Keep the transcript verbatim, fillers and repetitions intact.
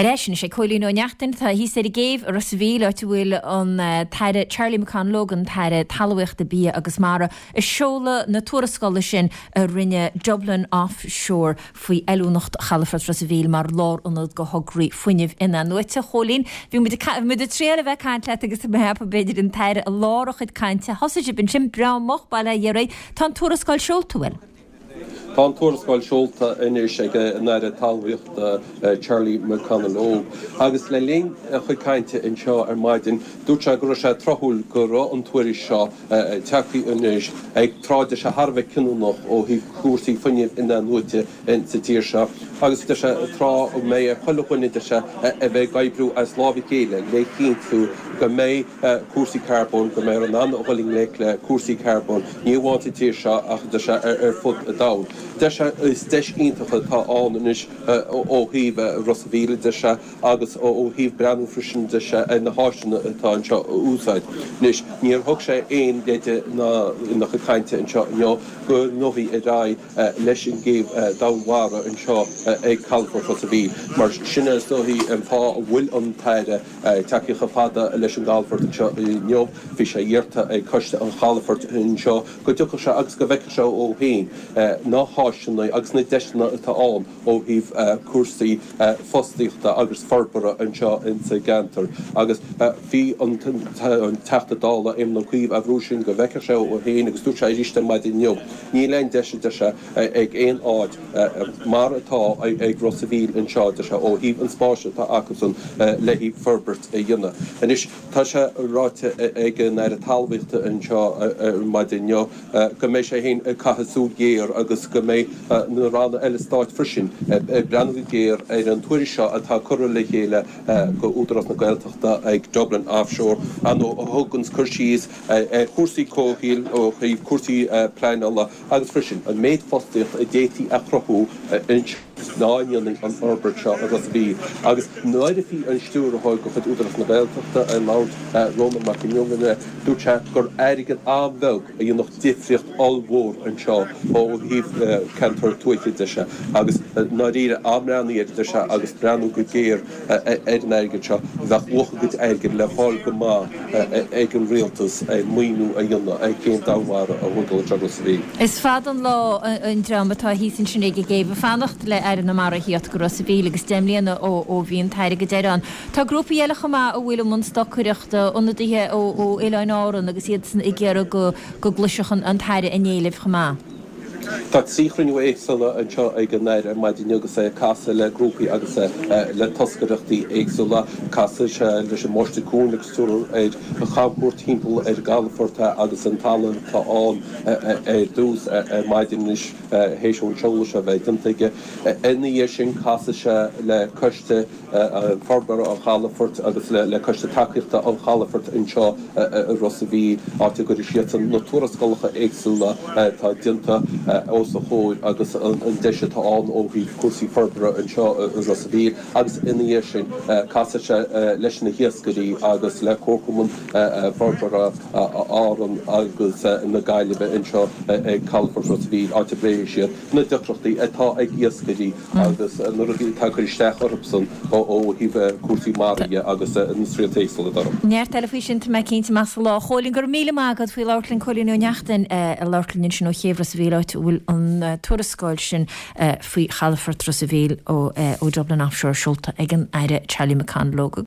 Ar ais anois ag Cóilín Ó Neachtain, tá thíos ar an gcéibh i Ros a' Mhíl, áit a bhfuil an tAire Charlie McConalogue, an tAire Talmhaíochta, Bia agus Mara, ag seoladh na tuarascála sin a rinne Dublin Offshore faoi fheiliúnacht Chalafort Ros a' Mhíl mar lárionad do thograí fuinnimh in-athnuaite. Chóilín, bhí muid ag triail a bheith ag caint leat agus mé ag ceapadh b'fhéidir an tAire i lár a chuid cainte. Thosaigh sibh ansin breá moch, bail ó Dhia oraibh. Tá an tuarascáil seolta, bhfuil? Tá an tuarascáil seolta anois ag an Aire Talmhaíochta Charlie McConalogue agus le linn a chuid cainte anseo ar maidin dúirt sé go raibh sé tráthúil go raibh an tuairisc seo tagtha anois ag tráth deir sé thar a bheith cinniúnach ó thaobh cúrsaí fuinnimh in-athnuaite sa tír seo agus deir sé tráth a mbeidh ar chuile dhuine deir sé a bheith ag oibriú as lámh a chéile le cinntiú go mbeidh cúrsaí carbóin, go mbeifear in ann a dhul i ngleic le cúrsaí carbóin, ní amháin sa tír seo ach deir sé ar fud an domhain. Deir sé is deis iontach atá ann anois ó thaobh Ros a' Mhíl, deir sé, agus ó thaobh breathnú freisin, deir sé, ar na háiseanna atá anseo a úsáid. Anois, níor thug sé aon leide ná ina chuid cainte anseo inniu go ngabhfaí ar aghaidh leis an gcéibh domhainmhara anseo ag Calafort Ros a' Mhíl. Mar sin is dóichí an fáth a bhfuil an tAire tagtha chomh fada leis an gcalafort anseo inniu. Bhí sé iarrta ag Coiste an Chalafoirt anseo go dtiocfadh sé agus go bhfeicfeadh sé ó féin na háiseanna agus na deiseanna atá ann ó thaobh cúrsaí fostaíochta agus forbartha anseo insa gceantar. Agus bhí an Teachta Dála Éamon Ó Cuív á bhrú sin go bhfeicfeadh sé ó féin agus dúirt sé arís ar maidin inniu, níl aon deis, a deir sé, ag aon áit mar atá ag Ros a' Mhíl anseo, deir sé, ó thaobh an spáis atá acusan le haghaidh forbairt a dhéanamh. Anois, tá sé ráite ag an Aire Talmhaíochta anseo ar maidin inniu go mbeidh sé féin ag caitheamh súil ghéar agus go mbeidh na ranna eile stáit freisin ag breathnú go géar ar an tuairisc seo atá curtha le chéile go Údarás na Gaeltachta ag Dublin Offshore, ar ndóigh, a thugann cur síos ar chúrsaí comhshaoil, ó thaobh cúrsaí pleanála agus freisin an méid fostaíocht a d'fhéadfaí a chruthú anseo dá ndéanfaí an fhorbairt seo i Ros a' Mhíl. Agus nuair a bhí an Stiúrthóir de chuid Údarás na Gaeltachta ag labhairt, Rónán Mac Fhionnghaile, dúirt sé gur airgead an-bheag a dhéanfadh difríocht ollmhór anseo ó thaobh ceantar tuaithe de, sea. Agus i ndáiríre, á mbreathnaí air, deir sé, agus breathnú go géar ar an airgead seo, bheadh luach a gcuid airgid le fáil go maith ag an rialtas ar maoiniú a dhéanamh ar chéim domhainmhara a thógáil anseo i Ros a' Mhíl. Is fada an lá an dream atá thíos ansin ag an gcéibh ag fanacht le Aire na Mara a thíocht go Ros a' Mhíl agus deich mbliana ó bhí an tAire go deireadh ann. Tá grúpaí eile chomh maith a bhfuil i mbun stocaireachta, ionadaithe ó Oileáin Árann agus iadsan ag iarraidh go gcloisfeadh an tAire a n-éilimh chomh maith. Tá trí chruinniú éagsúla anseo ag an Aire ar maidin agus é ag casadh le grúpaí agus le toscaireachtaí éagsúla. Casfaidh sé leis an mBaiste Cuain agus tabharfar air chamchuairt timpeall ar an gcalafort agus an talamh atá ann ar dtús ar maidin anois théis an seoladh seo a bheith déanta aige. Ina dhiaidh sin casfaidh sé le coiste Forbartha an Chalafoirt agus le Coiste Tacaíochta an Chalafoirt anseo i Ros a' Mhíl, áit a gcuirfidh siadsan na tuarascálacha éagsúla atá déanta os a chomhair agus an deis atá ann ó thaobh cúrsaí forbartha anseo i Ros a' Mhíl agus ina dhiaidh sin casfaidh sé leis na hiascairí agus le Comharchumann Forbartha Árann agus na Gaillimhe anseo ag Calafort Ros a' Mhíl, áit a bpléifidh siad na deacrachtaí atá ag iascairí agus na rudaí atá ag cur isteach orthusan ó thaobh cúrsaí mara dhe agus na srianta éagsúla atá orthu. Neart eile faoi sin, tá mé cinnte, amach sa lá. A Chóilín, go raibh míle maith agat faoi labhairt linn, Cóilín Ó Neachtain ag labhairt linn ansin ó chéibh Ros a' Mhíl, áit a bhfuil an tuarascáil sin faoi chalafort Ros a' Mhíl ó Dublin Offshore seolta ag an Aire Charlie McConalogue.